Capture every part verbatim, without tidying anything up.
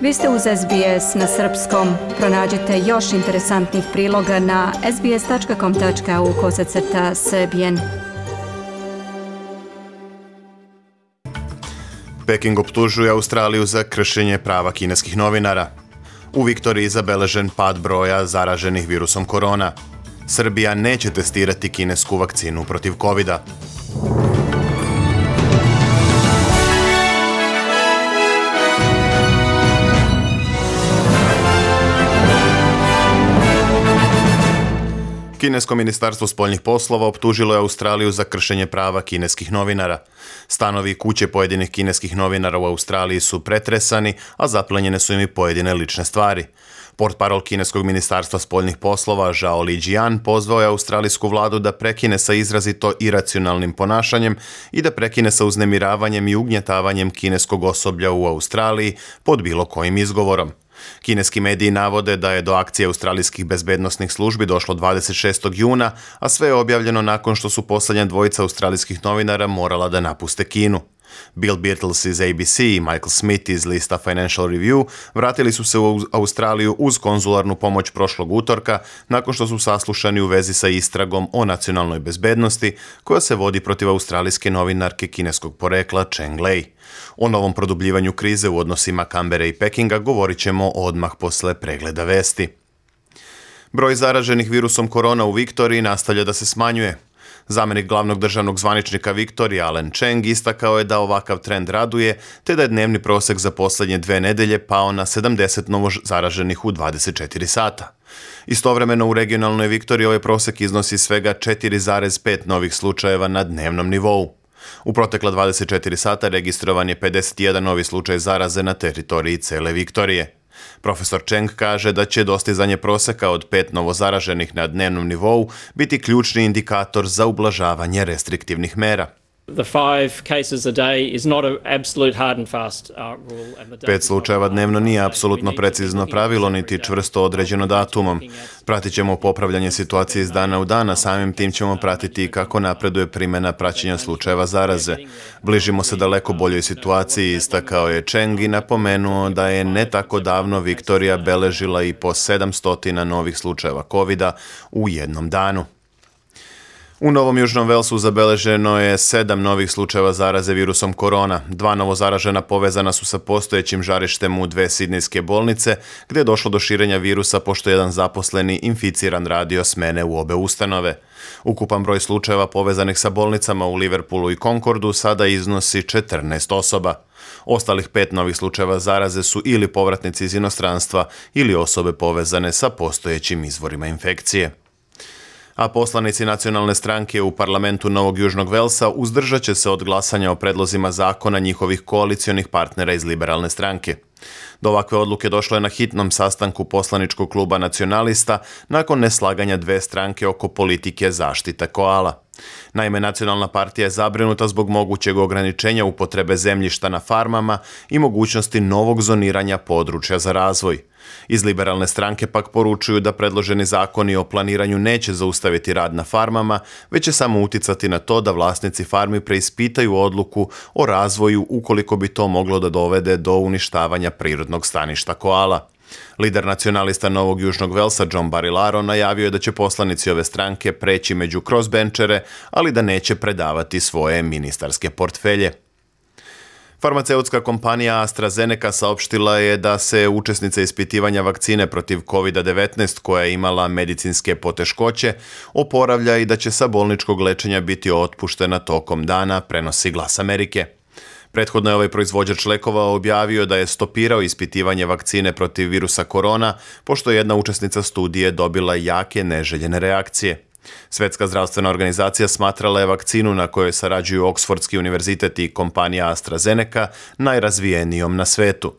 Vi ste uz S B S na srpskom. Pronađite još interesantnih priloga na sbs.com.au kosacrta srbijen. Peking optužuje Australiju za kršenje prava kineskih novinara. U Viktoriji zabeležen pad broja zaraženih virusom korona. Srbija neće testirati kinesku vakcinu protiv kovida. Kinesko ministarstvo spoljnih poslova optužilo je Australiju za kršenje prava kineskih novinara. Stanovi i kuće pojedinih kineskih novinara u Australiji su pretresani, a zaplenjene su im i pojedine lične stvari. Portparol kineskog ministarstva spoljnih poslova Zhao Lijian pozvao je australijsku vladu da prekine sa izrazito iracionalnim ponašanjem i da prekine sa uznemiravanjem i ugnjetavanjem kineskog osoblja u Australiji pod bilo kojim izgovorom. Kineski mediji navode da je do akcije australijskih bezbednosnih službi došlo dvadeset šestog juna, a sve je objavljeno nakon što su posljednja dvojica australijskih novinara morala da napuste Kinu. Bill Birtles iz A B C i Michael Smith iz lista Financial Review vratili su se u Australiju uz konzularnu pomoć prošlog utorka nakon što su saslušani u vezi sa istragom o nacionalnoj bezbednosti koja se vodi protiv australijske novinarke kineskog porekla Cheng Lei. O novom produbljivanju krize u odnosima Kambere i Pekinga govorit ćemo odmah posle pregleda vesti. Broj zaraženih virusom korona u Viktoriji nastavlja da se smanjuje. Zamenik glavnog državnog zvaničnika Viktorije Alan Cheng istakao je da ovakav trend raduje, te da je dnevni prosek za posljednje dve nedelje pao na sedamdeset novo zaraženih u dvadeset četiri sata. Istovremeno u regionalnoj Viktoriji ovaj prosek iznosi svega četiri zarez pet novih slučajeva na dnevnom nivou. U protekla dvadeset četiri sata registrovan je pedeset jedan novi slučaj zaraze na teritoriji cele Viktorije. Profesor Cheng kaže da će dostizanje proseka od pet novozaraženih na dnevnom nivou biti ključni indikator za ublažavanje restriktivnih mera. Pet slučajeva dnevno nije apsolutno precizno pravilo niti čvrsto određeno datumom. Pratit ćemo popravljanje situacije iz dana u dana, samim tim ćemo pratiti kako napreduje primjena praćenja slučajeva zaraze. Bližimo se daleko boljoj situaciji, istakao je Cheng i napomenuo da je ne tako davno Viktorija beležila i po sedamsto novih slučajeva kovida u jednom danu. U Novom Južnom Velsu zabeleženo je sedam novih slučajeva zaraze virusom korona. Dva novozaražena povezana su sa postojećim žarištem u dve sidnejske bolnice, gdje je došlo do širenja virusa pošto jedan zaposleni inficiran radio smene u obe ustanove. Ukupan broj slučajeva povezanih sa bolnicama u Liverpoolu i Concordu sada iznosi četrnaest osoba. Ostalih pet novih slučajeva zaraze su ili povratnici iz inostranstva ili osobe povezane sa postojećim izvorima infekcije. A poslanici nacionalne stranke u parlamentu Novog Južnog Velsa uzdržat će se od glasanja o predlozima zakona njihovih koalicionih partnera iz liberalne stranke. Do ovakve odluke došlo je na hitnom sastanku poslaničkog kluba nacionalista nakon neslaganja dve stranke oko politike zaštita koala. Naime, nacionalna partija je zabrinuta zbog mogućeg ograničenja upotrebe zemljišta na farmama i mogućnosti novog zoniranja područja za razvoj. Iz liberalne stranke pak poručuju da predloženi zakoni o planiranju neće zaustaviti rad na farmama, već će samo uticati na to da vlasnici farmi preispitaju odluku o razvoju ukoliko bi to moglo da dovede do uništavanja prirodnog staništa koala. Lider nacionalista Novog Južnog Velsa John Barilaro najavio je da će poslanici ove stranke preći među crossbenčere, ali da neće predavati svoje ministarske portfelje. Farmaceutska kompanija AstraZeneca saopštila je da se učesnica ispitivanja vakcine protiv kovid devetnaest koja je imala medicinske poteškoće oporavlja i da će sa bolničkog lečenja biti otpuštena tokom dana, prenosi Glas Amerike. Prethodno je ovaj proizvođač lekova objavio da je stopirao ispitivanje vakcine protiv virusa korona, pošto je jedna učesnica studije dobila jake neželjene reakcije. Svetska zdravstvena organizacija smatrala je vakcinu na kojoj sarađuju Oksfordski univerzitet i kompanija AstraZeneca najrazvijenijom na svetu.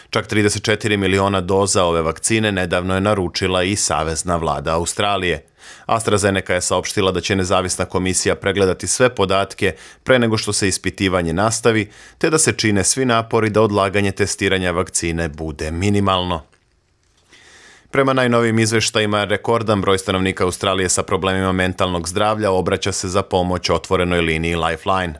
Čak trideset četiri miliona doza ove vakcine nedavno je naručila i Savezna vlada Australije. AstraZeneca je saopštila da će nezavisna komisija pregledati sve podatke pre nego što se ispitivanje nastavi, te da se čine svi napori da odlaganje testiranja vakcine bude minimalno. Prema najnovijim izveštajima, rekordan broj stanovnika Australije sa problemima mentalnog zdravlja obraća se za pomoć otvorenoj liniji Lifeline.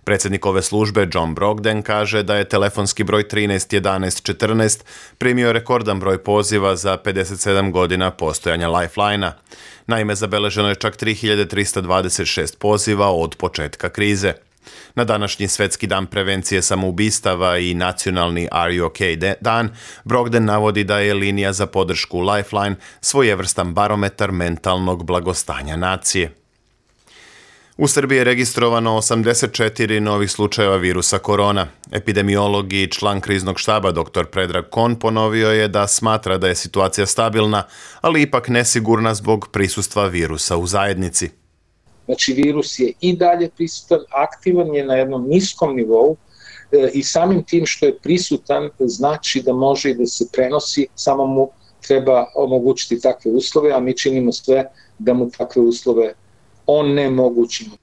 Predsjednik ove službe John Brogden kaže da je telefonski broj trinaest jedanaest četrnaest primio rekordan broj poziva za pedeset sedam godina postojanja Lifelina. Naime, zabeleženo je čak tri hiljade trista dvadeset šest poziva od početka krize. Na današnji Svetski dan prevencije samoubistava i nacionalni Are You OK dan, Brogden navodi da je linija za podršku Lifeline svojevrstan barometar mentalnog blagostanja nacije. U Srbiji je registrovano osamdeset četiri novih slučajeva virusa korona. Epidemiolog i član kriznog štaba dr Predrag Kon ponovio je da smatra da je situacija stabilna, ali ipak nesigurna zbog prisustva virusa u zajednici. Znači, virus je i dalje prisutan, aktivan je na jednom niskom nivou e, i samim tim što je prisutan znači da može i da se prenosi, samo mu treba omogućiti takve uslove, a mi činimo sve da mu takve uslove onemogućimo.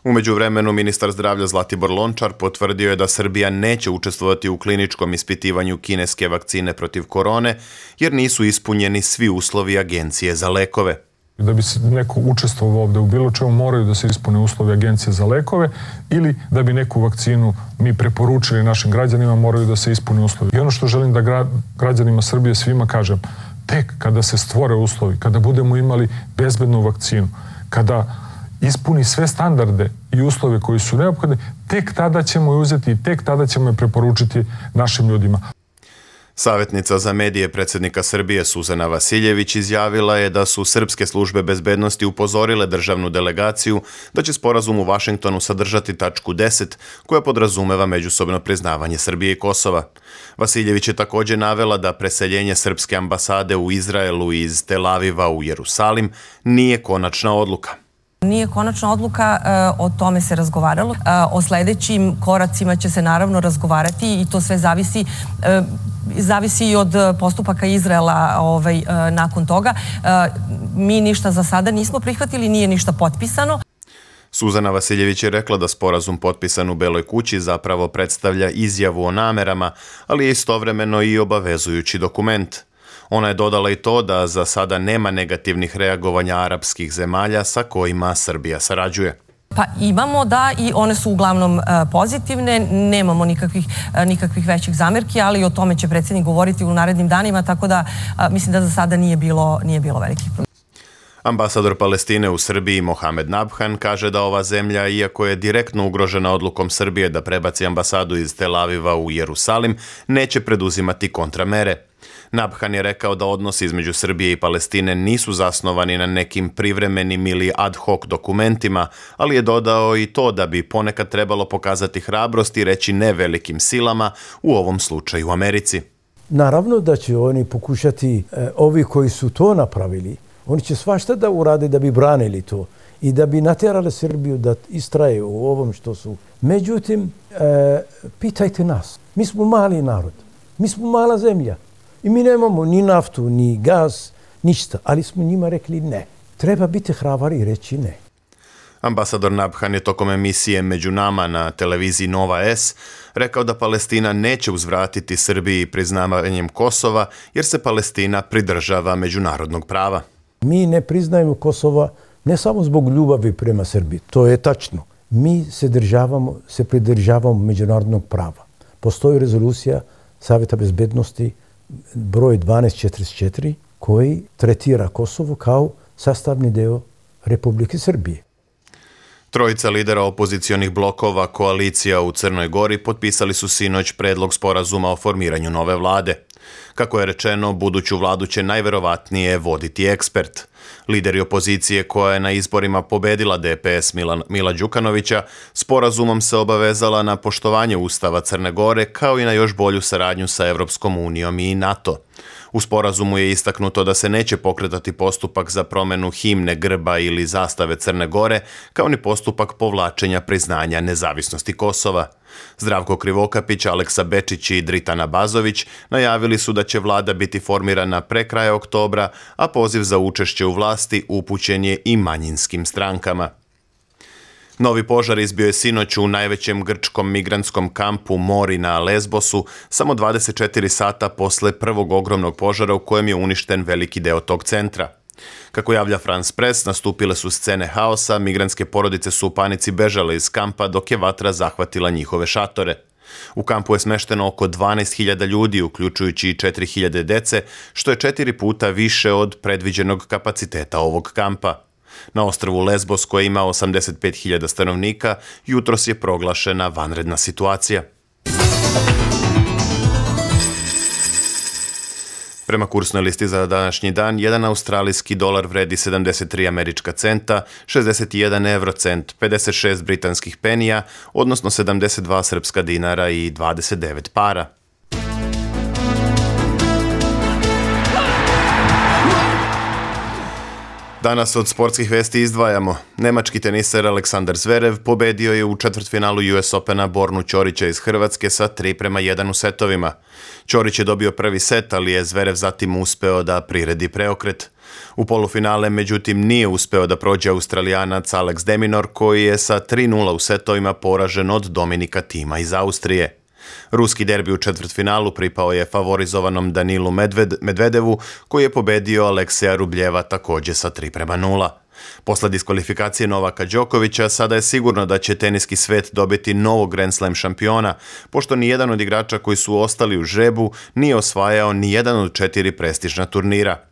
U međuvremenu, ministar zdravlja Zlatibor Lončar potvrdio je da Srbija neće učestvovati u kliničkom ispitivanju kineske vakcine protiv korone, jer nisu ispunjeni svi uslovi Agencije za lekove. Da bi se neko učestvovao ovde u bilo čemu, moraju da se ispune uslovi Agencije za lekove, ili da bi neku vakcinu mi preporučili našim građanima, moraju da se ispune uslovi. I ono što želim da gra, građanima Srbije svima kažem, tek kada se stvore uslovi, kada budemo imali bezbednu vakcinu, kada ispuni sve standarde i uslove koji su neophodni, tek tada ćemo je uzeti i tek tada ćemo je preporučiti našim ljudima. Savjetnica za medije predsjednika Srbije Suzana Vasiljević izjavila je da su srpske službe bezbednosti upozorile državnu delegaciju da će sporazum u Vašingtonu sadržati tačku deset koja podrazumeva međusobno priznavanje Srbije i Kosova. Vasiljević je također navela da preseljenje srpske ambasade u Izraelu iz Tel Aviva u Jerusalim nije konačna odluka. Nije konačna odluka, o tome se razgovaralo. O sljedećim koracima će se naravno razgovarati i to sve zavisi zavisi i od postupaka Izraela ovaj, nakon toga. Mi ništa za sada nismo prihvatili, nije ništa potpisano. Suzana Vasiljević je rekla da sporazum potpisan u Beloj kući zapravo predstavlja izjavu o namerama, ali je istovremeno i obavezujući dokument. Ona je dodala i to da za sada nema negativnih reagovanja arapskih zemalja sa kojima Srbija sarađuje. Pa imamo da i one su uglavnom pozitivne, nemamo nikakvih, nikakvih većih zamerki, ali o tome će predsjednik govoriti u narednim danima, tako da mislim da za sada nije bilo, nije bilo velikih problema. Ambasador Palestine u Srbiji Mohamed Nabhan kaže da ova zemlja, iako je direktno ugrožena odlukom Srbije da prebaci ambasadu iz Tel Aviva u Jerusalim, neće preduzimati kontramere. Nabhan je rekao da odnosi između Srbije i Palestine nisu zasnovani na nekim privremenim ili ad hoc dokumentima, ali je dodao i to da bi ponekad trebalo pokazati hrabrost i reći ne velikim silama, u ovom slučaju u Americi. Naravno da će oni pokušati, eh, ovi koji su to napravili, oni će svašta da urade da bi branili to i da bi natjerali Srbiju da istraje u ovom što su. Međutim, eh, pitajte nas. Mi smo mali narod. Mi smo mala zemlja. I mi nemamo ni naftu, ni gaz, ništa. Ali smo njima rekli ne. Treba biti hrabar i reći ne. Ambasador Nabhan je tokom emisije Među nama na televiziji Nova S rekao da Palestina neće uzvratiti Srbiji priznavanjem Kosova jer se Palestina pridržava međunarodnog prava. Mi ne priznajemo Kosova ne samo zbog ljubavi prema Srbiji, to je tačno. Mi se, državamo, se pridržavamo međunarodnog prava. Postoji rezolucija Savjeta bezbednosti broj dvanaest četrdeset četiri koji tretira Kosovo kao sastavni deo Republike Srbije. Trojica lidera opozicionih blokova koalicija u Crnoj Gori potpisali su sinoć predlog sporazuma o formiranju nove vlade. Kako je rečeno, buduću vladu će najverovatnije voditi ekspert. Lideri opozicije koja je na izborima pobedila D P S Mila, Mila Đukanovića, sporazumom se obavezala na poštovanje Ustava Crne Gore kao i na još bolju saradnju sa Evropskom unijom i NATO. U sporazumu je istaknuto da se neće pokretati postupak za promjenu himne, grba ili zastave Crne Gore, kao ni postupak povlačenja priznanja nezavisnosti Kosova. Zdravko Krivokapić, Aleksa Bečić i Dritana Bazović najavili su da će vlada biti formirana pre kraja oktobra, a poziv za učešće u vlasti upućen je i manjinskim strankama. Novi požar izbio je sinoć u najvećem grčkom migrantskom kampu Mori na Lesbosu, samo dvadeset četiri sata posle prvog ogromnog požara u kojem je uništen veliki deo tog centra. Kako javlja France Press, nastupile su scene haosa, migrantske porodice su u panici bežale iz kampa dok je vatra zahvatila njihove šatore. U kampu je smešteno oko dvanaest hiljada ljudi, uključujući i četiri hiljade dece, što je četiri puta više od predviđenog kapaciteta ovog kampa. Na ostrvu Lesbos, koji ima osamdeset pet hiljada stanovnika, jutros je proglašena vanredna situacija. Prema kursnoj listi za današnji dan, jedan australijski dolar vredi sedamdeset tri američka centa, šezdeset jedan evrocent, pedeset šest britanskih penija, odnosno sedamdeset dva srpska dinara i dvadeset devet para. Danas od sportskih vesti izdvajamo. Nemački teniser Aleksandar Zverev pobedio je u četvrtfinalu U S Opena Bornu Ćorića iz Hrvatske sa tri prema jedan u setovima. Ćorić je dobio prvi set, ali je Zverev zatim uspeo da priredi preokret. U polufinale, međutim, nije uspeo da prođe Australijanac Alex de Minaur, koji je sa tri nula u setovima poražen od Dominika Thima iz Austrije. Ruski derbi u četvrtfinalu pripao je favorizovanom Danilu Medved, Medvedevu, koji je pobedio Alekseja Rubljeva takođe sa tri prema nula. Posle diskvalifikacije Novaka Đokovića, sada je sigurno da će teniski svet dobiti novog Grand Slam šampiona, pošto nijedan od igrača koji su ostali u žrebu nije osvajao nijedan od četiri prestižna turnira.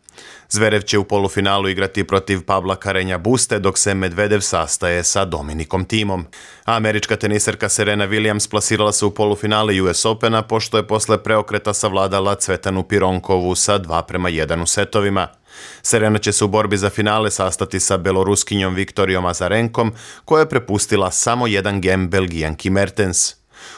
Zverev će u polufinalu igrati protiv Pavla Karenja Buste, dok se Medvedev sastaje sa Dominikom Thimom. A američka teniserka Serena Williams plasirala se u polufinale U S Opena, pošto je posle preokreta savladala Cvetanu Pironkovu sa dva prema jedan u setovima. Serena će se u borbi za finale sastati sa beloruskinjom Viktorijom Azarenkom, koja je prepustila samo jedan gem Belgijanki Mertens.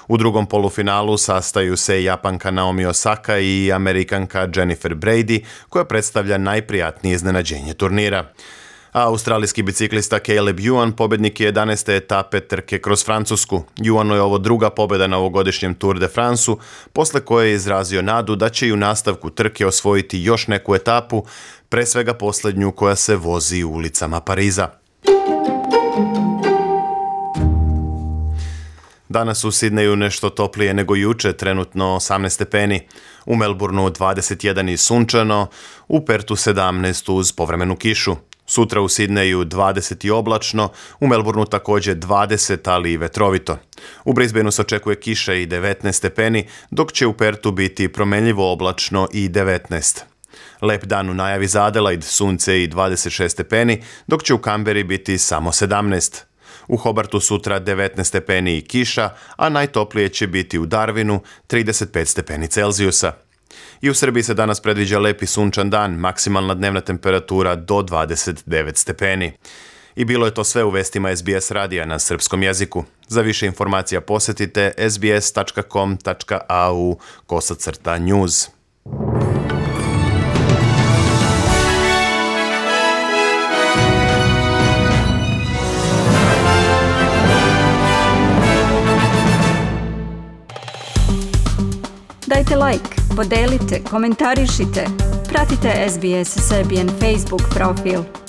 U drugom polufinalu sastaju se Japanka Naomi Osaka i Amerikanka Jennifer Brady, koja predstavlja najprijatnije iznenađenje turnira. A australijski biciklista Caleb Ewan pobednik je jedanaeste etape trke kroz Francusku. Ewanu je ovo druga pobeda na ovogodišnjem Tour de France-u, posle koje je izrazio nadu da će i u nastavku trke osvojiti još neku etapu, pre svega poslednju koja se vozi ulicama Pariza. Danas u Sidneju nešto toplije nego juče, trenutno osamnaest stepeni, u Melbourneu dvadeset jedan i sunčano, u Pertu sedamnaest uz povremenu kišu. Sutra u Sidneju dvadeset i oblačno, u Melbourneu takođe dvadeset, ali i vetrovito. U Brisbaneu se očekuje kiša i devetnaest stepeni, dok će u Pertu biti promenljivo oblačno i devetnaest. Lep dan u najavi za Adelaide, sunce i dvadeset šest stepeni, dok će u Kamberi biti samo sedamnaest. U Hobartu sutra devetnaest stepeni i kiša, a najtoplije će biti u Darwinu trideset pet stepeni Celzijusa. I u Srbiji se danas predviđa lep i sunčan dan, maksimalna dnevna temperatura do dvadeset devet stepeni. I bilo je to sve u vestima S B S radija na srpskom jeziku. Za više informacija posetite s b s tačka com tačka a u kosacrta news. Dajte like, podelite, komentarišite, pratite S B S Serbian Facebook profil.